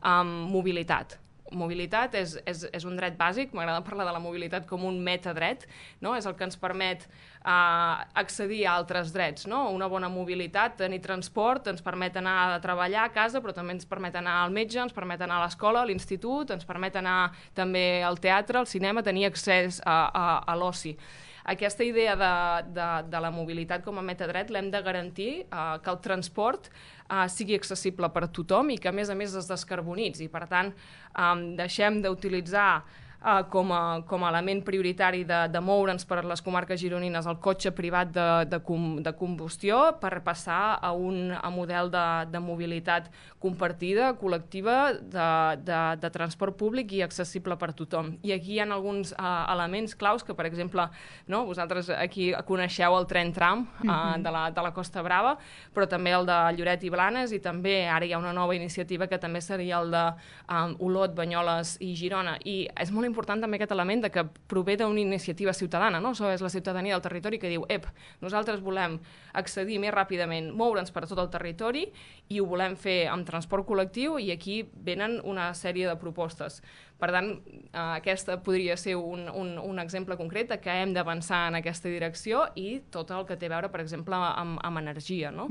Mobilitat. Mobilitat és un dret bàsic, m'agrada parlar de la mobilitat com un metadret, no? És el que ens permet accedir a altres drets, no? Una bona mobilitat, tenir transport, ens permet anar a treballar a casa, però també ens permet anar al metge, ens permet anar a l'escola, a l'institut, ens permet anar també al teatre, al cinema, tenir accés a l'oci. Aquesta idea de la mobilitat com a metadret l'hem de garantir que el transport sigui accessible per a tothom i que, a més es descarbonitzi. Per tant, deixem d'utilitzar com a element prioritari de moure'ns per les comarques gironines el cotxe privat de combustió per passar a un model de mobilitat compartida, col·lectiva, de transport públic i accessible per tothom. I aquí hi ha alguns elements claus que, per exemple, no, vosaltres aquí coneixeu el tren tram de la Costa Brava, però també el de Lloret i Blanes, i també ara hi ha una nova iniciativa que també seria el de Olot, Banyoles i Girona. I és molt important també aquest element de que prové d'una iniciativa ciutadana, no? Això és la ciutadania del territori que diu, nosaltres volem accedir més ràpidament, moure'ns per tot el territori i ho volem fer amb transport col·lectiu, i aquí venen una sèrie de propostes. Per tant, aquesta podria ser un exemple concret de que hem d'avançar en aquesta direcció, i tot el que té a veure, per exemple, amb energia, no?